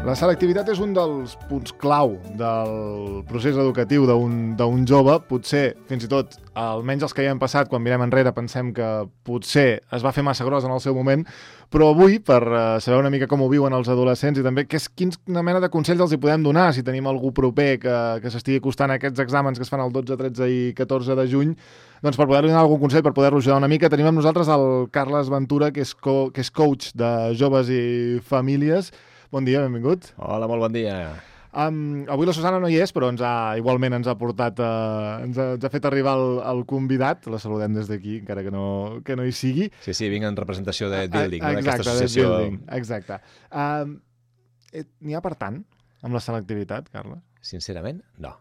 La selectivitat és un dels punts clau del procés educatiu d'un jove. Potser, fins i tot, almenys els que ja hem passat, quan mirem enrere, pensem que potser es va fer massa gros en el seu moment, però avui, per saber una mica com ho viuen els adolescents i també quina mena de consells els hi podem donar si tenim algú proper que s'estigui acostant a aquests exàmens que es fan el 12, 13 i 14 de juny, doncs per poder-li donar algun consell, per poder-lo ajudar una mica, tenim amb nosaltres el Carles Ventura, que és coach de joves i famílies. Bon dia, benvingut. Hola, molt bon dia. Avui la Susana no hi és, però igualment ens ha portat, ens ha fet arribar el convidat. La saludem des d'aquí, encara que no hi sigui. Sí, vinc en representació de Building, d'aquesta associació. Building, exacte. N'hi ha per tant amb la selectivitat, Carles? Sincerament, no.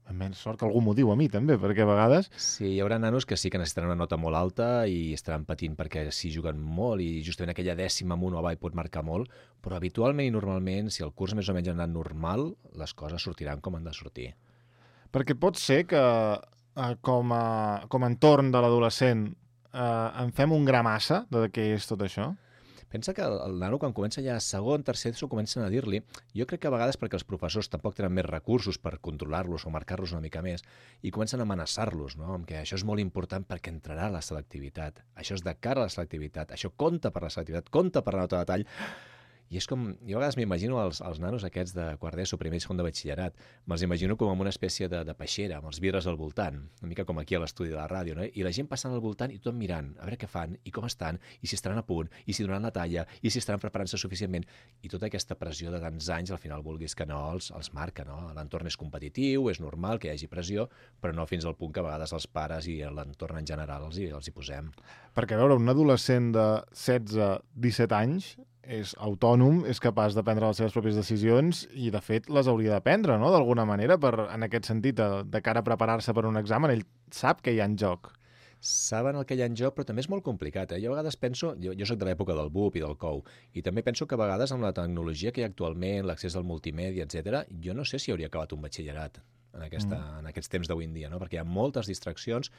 Almenys sort que algú m'ho diu a mi, també, perquè a vegades... Sí, hi haurà nanos que sí que necessitaran una nota molt alta i estaran patint perquè sí juguen molt i justament aquella dècima amunt o avall pot marcar molt, però habitualment i normalment, si el curs més o menys ha anat normal, les coses sortiran com han de sortir. Perquè pot ser que com a entorn de l'adolescent en fem un gra massa de què és tot això? Pensa que el nano, quan comença ja a segon, tercer, s'ho comencen a dir-li. Jo crec que a vegades perquè els professors tampoc tenen més recursos per controlar-los o marcar-los una mica més i comencen a amenaçar-los, no? Amb que això és molt important perquè entrarà a la selectivitat. Això és de cara a la selectivitat. Això compta per la selectivitat, compta per la nota de tall. I és com, jo a vegades m'imagino els nanos aquests de quart d'ESO, primer i segon de batxillerat, me'ls imagino com en una espècie de peixera, amb els vidres al voltant, una mica com aquí a l'estudi de la ràdio, no? I la gent passant al voltant i tothom mirant, a veure què fan, i com estan, i si estaran a punt, i si donaran la talla, i si estaran preparant-se suficientment. I tota aquesta pressió de tants anys, al final vulguis que no, els marca, no? L'entorn és competitiu, és normal que hi hagi pressió, però no fins al punt que a vegades els pares i l'entorn en general els hi posem. Perquè, a veure, un adolescent de 16-17 anys és autònom, és capaç de prendre les seves pròpies decisions i, de fet, les hauria de prendre, no?, d'alguna manera, en aquest sentit, de cara a preparar-se per un examen. Ell sap que hi ha en joc. Saben el que hi ha en joc, però també és molt complicat. Jo a vegades penso, jo soc de l'època del BUP i del COU, i també penso que a vegades amb la tecnologia que hi ha actualment, l'accés al multimèdia, etc., jo no sé si hauria acabat un batxillerat en aquests temps d'avui en dia, no? Perquè hi ha moltes distraccions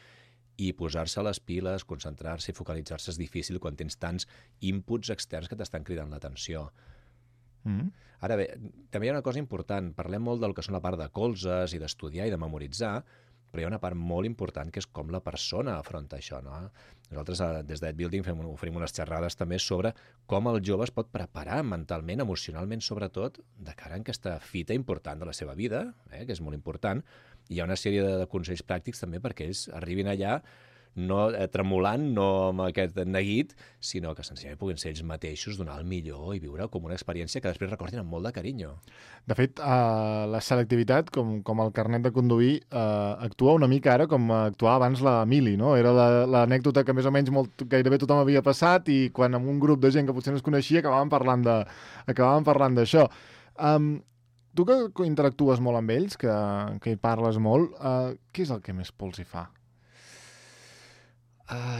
i posar-se a les piles, concentrar-se i focalitzar-se és difícil quan tens tants inputs externs que t'estan cridant l'atenció. Ara bé, també hi ha una cosa important. Parlem molt del que són la part de colzes i d'estudiar i de memoritzar, però hi ha una part molt important que és com la persona afronta això, no? Nosaltres des d'Ed Building oferim unes xerrades també sobre com el jove es pot preparar mentalment, emocionalment sobretot, de cara a aquesta fita important de la seva vida, que és molt important. Hi ha una sèrie de consells pràctics també perquè ells arribin allà no tremolant, no amb aquest neguit, sinó que senzillament puguin ser ells mateixos, donar el millor i viure com una experiència que després recordin amb molt de carinyo. De fet, la selectivitat, com el carnet de conduir, actua una mica ara com actuava abans la mili, no? Era l'anècdota que més o menys gairebé tothom havia passat i quan amb un grup de gent que potser no es coneixia acabàvem parlant d'això. Tu que interactues molt amb ells, que hi parles molt, què és el que més pols hi fa?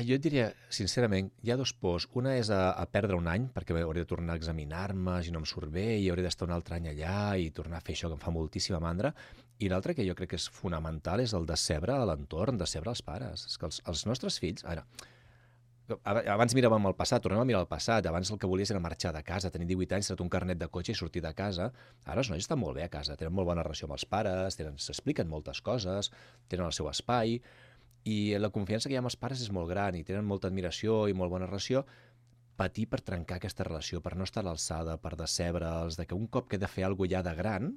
Jo et diria, sincerament, hi ha dos pors. Una és a perdre un any, perquè hauré de tornar a examinar-me, si no em surt bé, i hauré d'estar un altre any allà i tornar a fer això que em fa moltíssima mandra. I l'altre que jo crec que és fonamental és el decebre a l'entorn, decebre als pares. És que els nostres fills... Abans miràvem el passat, tornem a mirar el passat. Abans el que volies era marxar de casa, tenir 18 anys, treure un carnet de cotxe i sortir de casa. Ara els nois estan molt bé a casa, tenen molt bona relació amb els pares, s'expliquen moltes coses, tenen el seu espai, i la confiança que hi ha amb els pares és molt gran i tenen molta admiració i molt bona relació. Patir per trencar aquesta relació, per no estar a l'alçada, per decebre'ls, que un cop que he de fer alguna cosa ja de gran,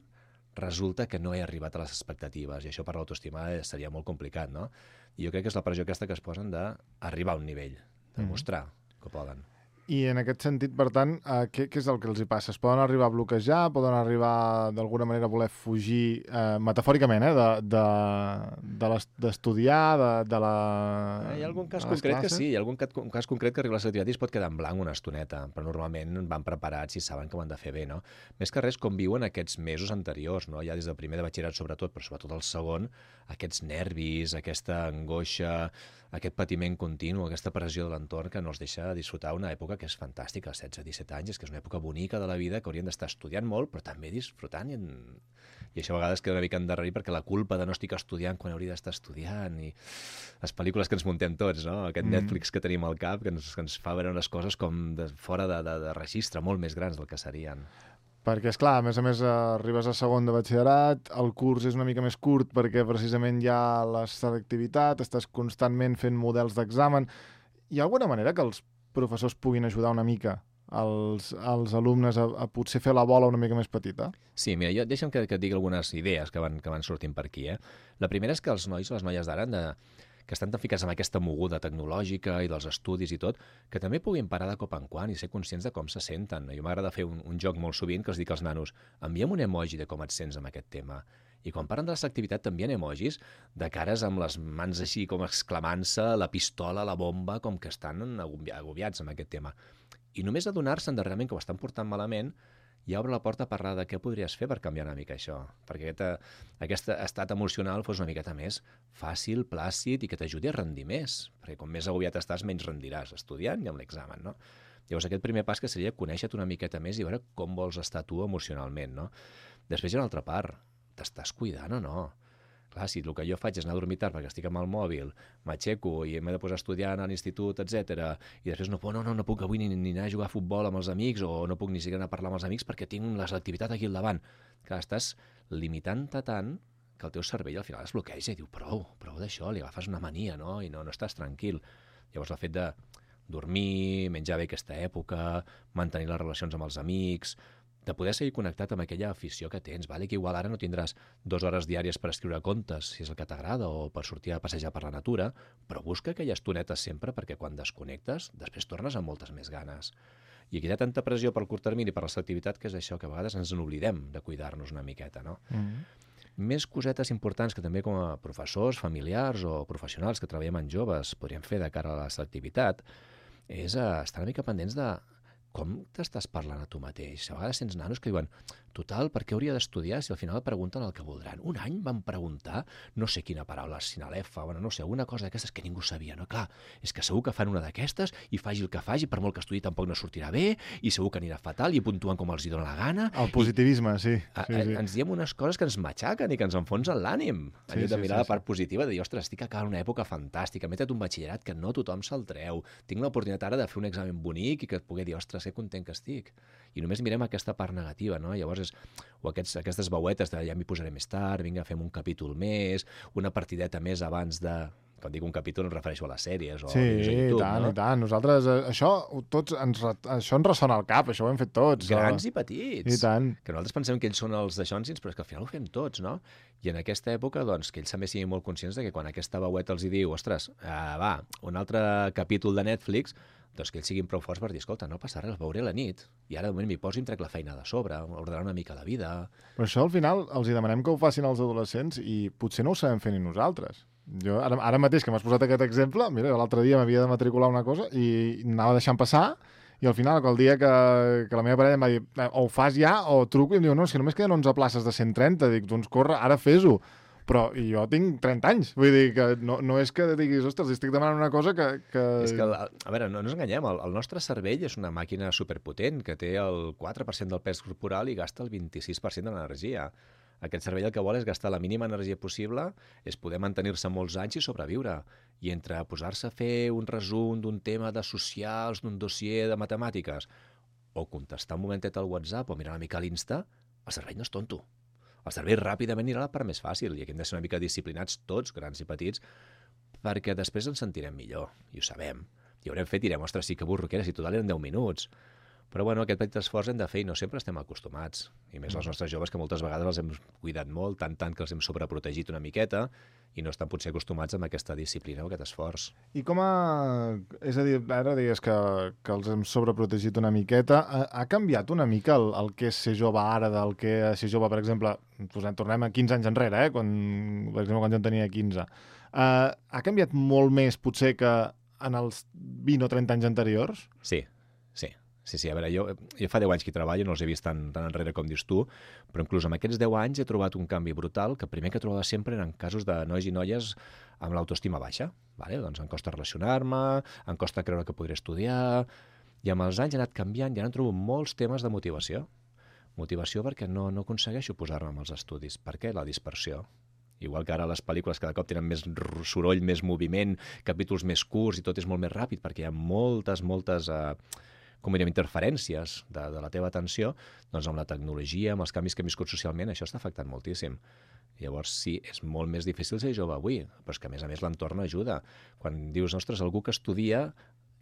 resulta que no he arribat a les expectatives, i això per l'autoestima seria molt complicat, no? I jo crec que és la pressió aquesta que es posen d'arribar a un nivell, de mostrar que poden. I en aquest sentit, per tant, què és el que els hi passa? Es poden arribar a bloquejar, poden arribar d'alguna manera a voler fugir, metafòricament, d'estudiar, de la... Hi ha algun cas concret que sí, hi ha algun cas concret que arriba a la selectivitat i es pot quedar en blanc una estoneta, però normalment van preparats i saben que ho han de fer bé, no? Més que res, com viuen aquests mesos anteriors, no? Ja des del primer de batxillerat sobretot, però sobretot el segon, aquests nervis, aquesta angoixa, aquest patiment continu, aquesta pressió de l'entorn que no els deixa disfrutar una època que és fantàstica, 16-17 anys, és que és una època bonica de la vida que haurien d'estar estudiant molt, però també disfrutant, i això a vegades queda una mica endarrerit perquè la culpa de no estic estudiant quan hauria d'estar estudiant, i les pel·lícules que ens muntem tots, no? Aquest Netflix que tenim al cap, que ens fa veure unes coses com fora de registre, molt més grans del que serien. Perquè, és clar, a més, arribes a segon de batxillerat, el curs és una mica més curt perquè precisament hi ha la selectivitat, estàs constantment fent models d'examen. Hi ha alguna manera que els professors puguin ajudar una mica als alumnes a potser fer la bola una mica més petita? Sí, mira, deixa'm que et digui algunes idees que van sortint per aquí. La primera és que els nois o les noies d'ara que estan tan ficats amb aquesta moguda tecnològica i dels estudis i tot, que també puguin parar de cop en quant i ser conscients de com se senten. A mi m'agrada fer un joc molt sovint que els dic als nanos: envia'm un emoji de com et sents amb aquest tema. I quan parlen de la selectivitat t'envien emojis de cares amb les mans així com exclamant-se, la pistola, la bomba, com que estan agobiats amb aquest tema. I només adonar-se'n de realment que ho estan portant malament ja obre la porta a parlar de què podries fer per canviar una mica això, perquè aquest estat emocional fos una miqueta més fàcil, plàcid i que t'ajudi a rendir més, perquè com més agobiat estàs, menys rendiràs estudiant i amb l'examen, no? Llavors aquest primer pas que seria conèixer-te una miqueta més i veure com vols estar tu emocionalment, no? Després hi ha una altra part, t'estàs cuidant o no? Clar, si el que jo faig és anar a dormir tard perquè estic amb el mòbil, m'aixeco i m'he de posar a estudiar a l'institut, etc. I després no puc avui ni anar a jugar a futbol amb els amics o no puc ni siquiera anar a parlar amb els amics perquè tinc la selectivitat aquí al davant. Clar, estàs limitant-te tant que el teu cervell al final es bloqueja i diu prou d'això, li agafes una mania, no? I no estàs tranquil. Llavors el fet de dormir, menjar bé aquesta època, mantenir les relacions amb els amics, de poder seguir connectat amb aquella afició que tens, vale? Que igual ara no tindràs 2 hores diàries per escriure contes, si és el que t'agrada, o per sortir a passejar per la natura, però busca aquelles estonetes sempre perquè quan desconnectes, després tornes amb moltes més ganes. I aquí hi ha tanta pressió pel curt termini, per la selectivitat, que és això, que a vegades ens n'oblidem de cuidar-nos una miqueta, no? Més cosetes importants que també com a professors, familiars o professionals que treballem amb joves podríem fer de cara a la selectivitat és estar una mica pendents de com t'estàs parlant a tu mateix. A vegades sents nanos que diuen total, per què hauria d'estudiar si al final pregunten el que voldran? Un any van preguntar no sé quina paraula, sinalefa, no sé, alguna cosa d'aquestes que ningú sabia, no? Clar, és que segur que fan una d'aquestes i faci el que faci, per molt que estudi tampoc no sortirà bé i segur que anirà fatal i puntuen com els hi dona la gana. El positivisme, sí. Ens diem unes coses que ens matxaquen i que ens enfonsen l'ànim. En lloc de mirar la part positiva, de dir, ostres, estic acabant una època fantàstica, m'he tret un batxillerat que no tothom se'l treu, tinc l'oportunitat ara de fer un examen bonic i que et pugui dir, ostres, que content que estic. I només mirem aquesta part negativa, no? Llavors o aquestes veuetes de ja m'hi posaré més tard, vinga, fem un capítol més, una partideta més abans de... Quan dic un capítol em refereixo a les sèries o a YouTube, no? I tant. Nosaltres, això ens ressona al cap, això ho hem fet tots. Grans i petits. I tant. Que nosaltres pensem que ells són els daixònsins, però és que al final ho fem tots, no? I en aquesta època, doncs, que ells també siguin molt conscients de que quan aquesta veueta els hi diu, ostres, va, un altre capítol de Netflix, doncs que ells siguin prou forts per dir, escolta, no passa res, el veuré a la nit, i ara de moment m'hi poso i em trec la feina de sobre, ordenar una mica la vida... Però això al final els hi demanem que ho facin els adolescents i potser no ho sabem fer ni nosaltres. Jo, ara mateix que m'has posat aquest exemple, mira, l'altre dia m'havia de matricular una cosa i anava deixant passar i al final, el dia que la meva parella em va dir o ho fas ja o truco i em diu no, és que només queden 11 places de 130, dic, doncs corre, ara fes-ho. Però jo tinc 30 anys, vull dir que no és que diguis, ostres, estic demanant una cosa que... És que, a veure, no ens enganyem, el nostre cervell és una màquina superpotent que té el 4% del pes corporal i gasta el 26% de l'energia. Aquest cervell el que vol és gastar la mínima energia possible, és poder mantenir-se molts anys i sobreviure. I entre posar-se a fer un resum d'un tema de socials, d'un dossier de matemàtiques, o contestar un momentet al WhatsApp o mirar una mica a l'Insta, el cervell no és tonto. El cervell ràpidament anirà a la part més fàcil i aquí hem de ser una mica disciplinats tots, grans i petits, perquè després ens sentirem millor, i ho sabem. I haurem fet i direm, ostres, sí que burro que era, si total eren 10 minuts. Però bueno, aquest petit esforç hem de fer i no sempre estem acostumats. I més els nostres joves que moltes vegades els hem cuidat molt, tant que els hem sobreprotegit una miqueta i no estan potser acostumats amb aquesta disciplina o aquest esforç. I com a... És a dir, ara digues que els hem sobreprotegit una miqueta. Ha canviat una mica el que és ser jove ara del que és ser jove, per exemple, tornem a 15 anys enrere, per exemple, quan jo en tenia 15. Ha canviat molt més, potser, que en els 20 o 30 anys anteriors? Sí, a veure, jo fa 10 anys que hi treballo, no els he vist tan enrere com dius tu, però inclús en aquests 10 anys he trobat un canvi brutal que primer que trobava sempre eren casos de nois i noies amb l'autoestima baixa. Vale? Doncs em costa relacionar-me, em costa creure que podré estudiar, i amb els anys he anat canviant i ara en trobo molts temes de motivació. Motivació perquè no aconsegueixo posar-me amb els estudis. Per què? La dispersió. Igual que ara les pel·lícules cada cop tenen més soroll, més moviment, capítols més curts i tot és molt més ràpid perquè hi ha moltes com diríem, interferències de la teva atenció, doncs amb la tecnologia, amb els canvis que hem viscut socialment, això està afectant moltíssim. Llavors, sí, és molt més difícil ser jove avui, però és que, a més l'entorn ajuda. Quan dius, ostres, algú que estudia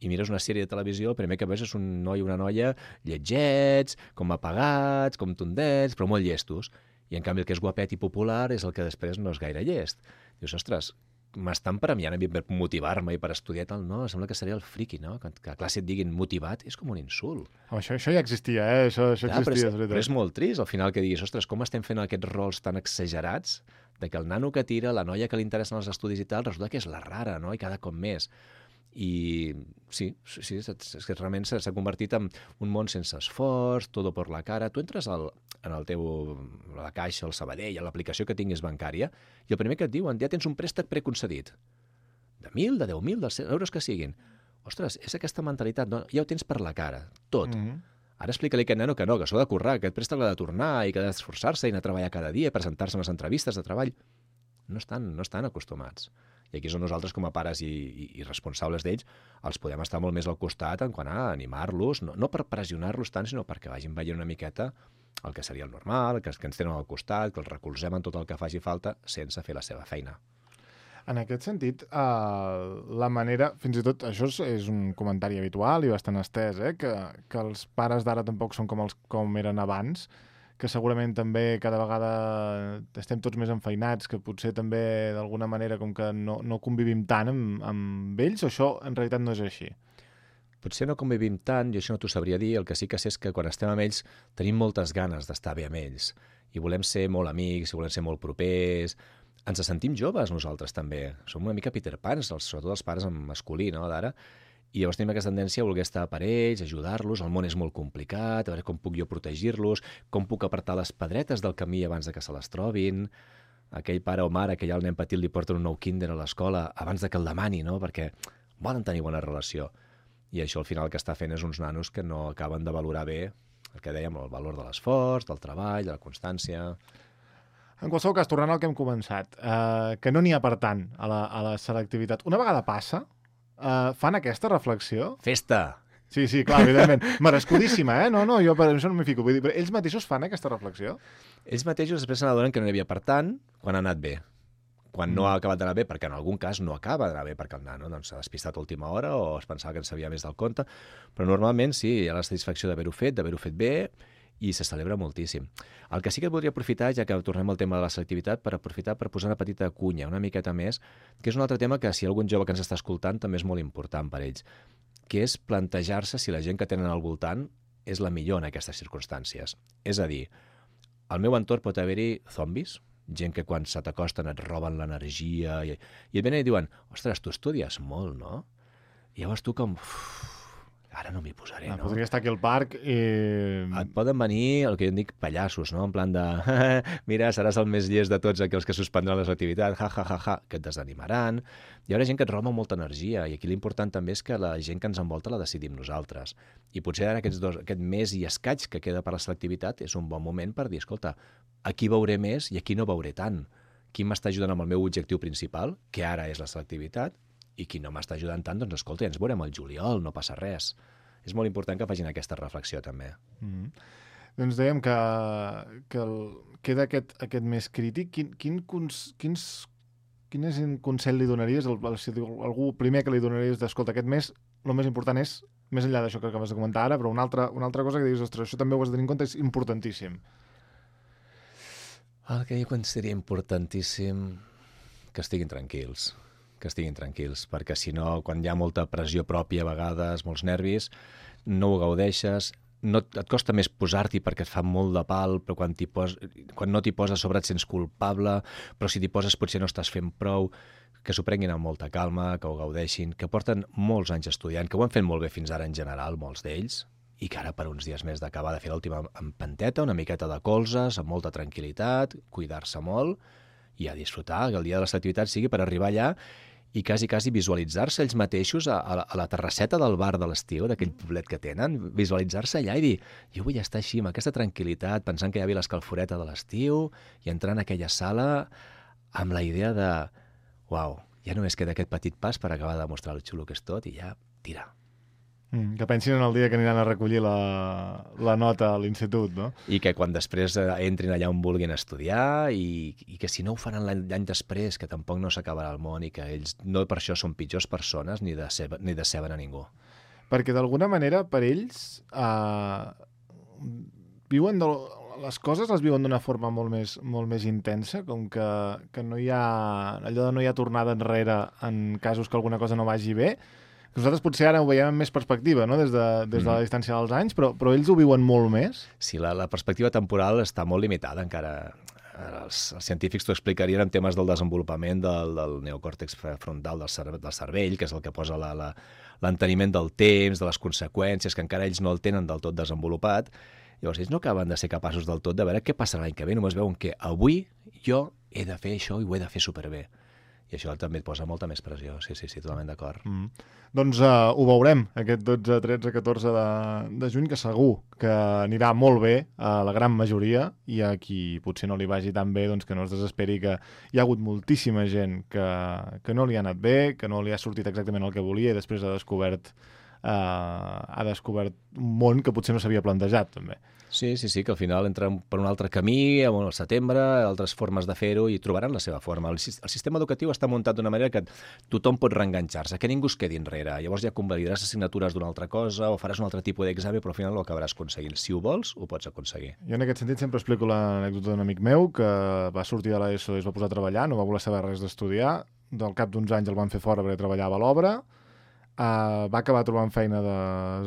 i mires una sèrie de televisió, el primer que veus és un noi o una noia lletgets, com apagats, com tondets, però molt llestos. I, en canvi, el que és guapet i popular és el que després no és gaire llest. Dius, ostres, m'estan premiant a mi per motivar-me i per estudiar tal. No, sembla que seria el friqui, no? Que a classe et diguin motivat és com un insult. Això ja existia, Això existia. Però és molt trist, al final, que diguis, ostres, com estem fent aquests rols tan exagerats de que el nano que tira, la noia que li interessen els estudis i tal, resulta que és la rara, no? I cada cop més. I sí, és que realment s'ha convertit en un món sense esforç, todo por la cara. Tu entres en la caixa, al Sabadell, a l'aplicació que tinguis bancària, i el primer que et diuen, ja tens un préstec preconcedit. De 1.000, de 10.000, de 100 euros que siguin. Ostres, és aquesta mentalitat, no? Ja ho tens per la cara, tot. Ara explica-li a aquest nano que no, que s'ho ha de currar, que aquest préstec l'ha de tornar i que ha d'esforçar-se i anar a treballar cada dia, presentar-se en les entrevistes de treball. No estan acostumats. I aquí són nosaltres, com a pares i responsables d'ells, els podem estar molt més al costat en quant a animar-los, no per pressionar-los tant, sinó perquè vagin veient una miqueta el que seria el normal, que ens tenen al costat, que els recolzem en tot el que faci falta sense fer la seva feina. En aquest sentit, la manera, fins i tot, això és un comentari habitual i bastant estès, que els pares d'ara tampoc són com eren abans, que segurament també cada vegada estem tots més enfeinats, que potser també d'alguna manera com que no convivim tant amb ells, o això en realitat no és així? Potser no convivim tant, jo això no t'ho sabria dir, el que sí que sé és que quan estem amb ells tenim moltes ganes d'estar bé amb ells, i volem ser molt amics, i volem ser molt propers, ens sentim joves nosaltres també, som una mica Peter Pans, sobretot els pares en masculí, no, d'ara, i llavors tenim aquesta tendència a voler estar per ells, ajudar-los, el món és molt complicat, a veure com puc jo protegir-los, com puc apartar les pedretes del camí abans de que se les trobin, aquell pare o mare que ja al nen petit li porten un nou Kinder a l'escola abans de que el demani, no? Perquè volen tenir bona relació. I això al final el que està fent és uns nanos que no acaben de valorar bé el que dèiem, el valor de l'esforç, del treball, de la constància. En qualsevol cas, tornant al que hem començat, que no n'hi ha per tant a la selectivitat. Una vegada passa, fan aquesta reflexió? Festa! Sí, clar, evidentment. Merescudíssima, No, jo per això no m'hi fico. Vull dir, però ells mateixos fan aquesta reflexió? Ells mateixos després se n'adonen que no n'hi havia per tant quan ha anat bé. Quan no ha acabat d'anar bé, perquè en algun cas no acaba d'anar bé perquè el nano s'ha despistat a última hora o es pensava que en sabia més del compte, però normalment sí, hi ha la satisfacció d'haver-ho fet bé, i se celebra moltíssim. El que sí que voldria aprofitar, ja que tornem al tema de la selectivitat, per posar una petita cunya, una miqueta més, que és un altre tema que si hi ha algun jove que ens està escoltant també és molt important per ells, que és plantejar-se si la gent que tenen al voltant és la millor en aquestes circumstàncies. És a dir, al meu entorn pot haver-hi zombis, gent que quan se t'acosten et roben l'energia i et venen i diuen, ostres, tu estudies molt, no? I llavors tu com... Ara no m'hi posaré, no? Podria estar aquí al parc i... Et poden venir, el que jo en dic, pallassos, no? En plan de, mira, seràs el més llest de tots aquells que suspendran les activitats, que et desanimaran. Hi haurà gent que et roba molta energia, i aquí l'important també és que la gent que ens envolta la decidim nosaltres. I potser ara aquest mes i escaig que queda per la selectivitat és un bon moment per dir, escolta, aquí veuré més i aquí no veuré tant. Qui m'està ajudant amb el meu objectiu principal, que ara és la selectivitat, i qui no m'està ajudant tant, doncs escolta, ens veurem al juliol, no passa res. És molt important que facin aquesta reflexió també. Doncs dèiem que queda aquest més crític. Quin és un consell li donaries? Algú primer que li donaries d'escolta, aquest mes el més important és, més enllà d'això que acabes de comentar ara, però una altra cosa que diguis, ostres, això també ho has de tenir en compte, és importantíssim. El que jo consideraria importantíssim, que estiguin tranquils, perquè si no, quan hi ha molta pressió pròpia a vegades, molts nervis, no ho gaudeixes, et costa més posar-t'hi perquè et fa molt de pal, però quan no t'hi poses a sobre et sents culpable, però si t'hi poses potser no estàs fent prou, que s'ho prenguin amb molta calma, que ho gaudeixin, que porten molts anys estudiant, que ho han fet molt bé fins ara en general, molts d'ells, i que ara per uns dies més d'acabar de fer l'última empenteta, una miqueta de colzes, amb molta tranquil·litat, cuidar-se molt, i a disfrutar, que el dia de les activitats sigui per arribar allà i quasi visualitzar-se ells mateixos a la terrasseta del bar de l'estiu, d'aquell poblet que tenen, visualitzar-se allà i dir, jo vull estar així, amb aquesta tranquil·litat, pensant que hi havia l'escalforeta de l'estiu i entrar en aquella sala amb la idea de, uau, ja només queda aquest petit pas per acabar de demostrar el xulo que és tot i ja tirar. Que pensin en el dia que aniran a recollir la nota a l'institut, no? I que quan després entrin allà on vulguin estudiar i que si no ho faran l'any després, que tampoc no s'acabarà el món i que ells no per això són pitjors persones ni deceben a ningú. Perquè d'alguna manera per ells viuen les coses les viuen d'una forma molt més intensa, com que no hi ha allò de no hi ha tornada enrere en casos que alguna cosa no vagi bé. Nosaltres potser ara ho veiem amb més perspectiva, no? des de la distància dels anys, però ells ho viuen molt més. Sí, la perspectiva temporal està molt limitada encara. Els científics t'ho explicarien en temes del desenvolupament del neocòrtex frontal del cervell, que és el que posa l'enteniment del temps, de les conseqüències, que encara ells no el tenen del tot desenvolupat. Llavors ells no acaben de ser capaços del tot de veure què passarà l'any que ve, només veuen que avui jo he de fer això i ho he de fer superbé. I això també et posa molta més pressió. Sí, totalment d'acord. Doncs ho veurem, aquest 12, 13, 14 de juny, que segur que anirà molt bé a la gran majoria, i a qui potser no li vagi tan bé, doncs que no es desesperi, que hi ha hagut moltíssima gent que no li ha anat bé, que no li ha sortit exactament el que volia, i després ha descobert un món que potser no s'havia plantejat, també. Sí, que al final entren per un altre camí, al setembre, altres formes de fer-ho, i trobaran la seva forma. El sistema educatiu està muntat d'una manera que tothom pot reenganxar-se, que ningú es quedi enrere. Llavors ja convalidaràs assignatures d'una altra cosa o faràs un altre tipus d'examen, però al final ho acabaràs aconseguint. Si ho vols, ho pots aconseguir. Jo en aquest sentit sempre explico l'anècdota d'un amic meu que va sortir de l'ESO i es va posar a treballar, no va voler saber res d'estudiar, del cap d'uns anys el van fer fora perquè treballava a l'obra, va acabar trobant feina de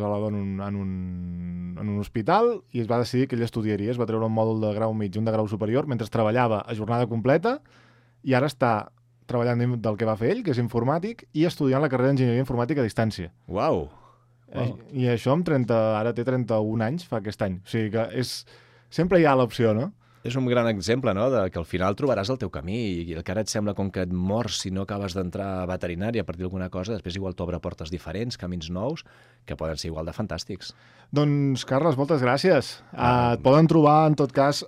zelador en un hospital i es va decidir que ell estudiaria. Es va treure un mòdul de grau mig i un de grau superior mentre treballava a jornada completa, i ara està treballant del que va fer ell, que és informàtic, i estudiant la carrera d'enginyeria informàtica a distància. Uau! I això ara té 31 anys, fa aquest any. O sigui que sempre hi ha l'opció, no? És un gran exemple, no?, de que al final trobaràs el teu camí, i el que ara et sembla com que et mors si no acabes d'entrar a veterinària a partir d'alguna cosa, després igual t'obre portes diferents, camins nous, que poden ser igual de fantàstics. Doncs, Carles, moltes gràcies. Et poden trobar, en tot cas,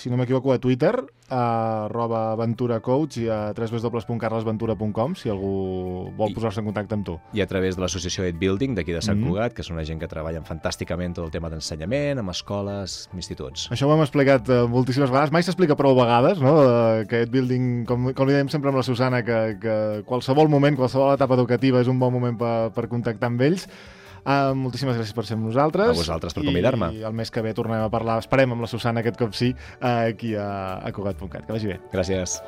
si no m'equivoco, a Twitter, @aventuracoach, i a www.carlesventura.com, si algú vol posar-se en contacte amb tu. I a través de l'associació Ed Building d'aquí de Sant Cugat, que és una gent que treballa fantàsticament tot el tema d'ensenyament, amb escoles, instituts. Això ho hem explicat moltíssimes vegades, mai s'explica prou vegades, no? Que Ed Building, com li dèiem sempre amb la Susana, que qualsevol moment, qualsevol etapa educativa és un bon moment per contactar amb ells. Moltíssimes gràcies per ser amb nosaltres. A vosaltres per convidar-me. I el mes que ve tornem a parlar, esperem amb la Susana aquest cop sí, aquí a Cugat.cat. Que vagi bé. Gràcies.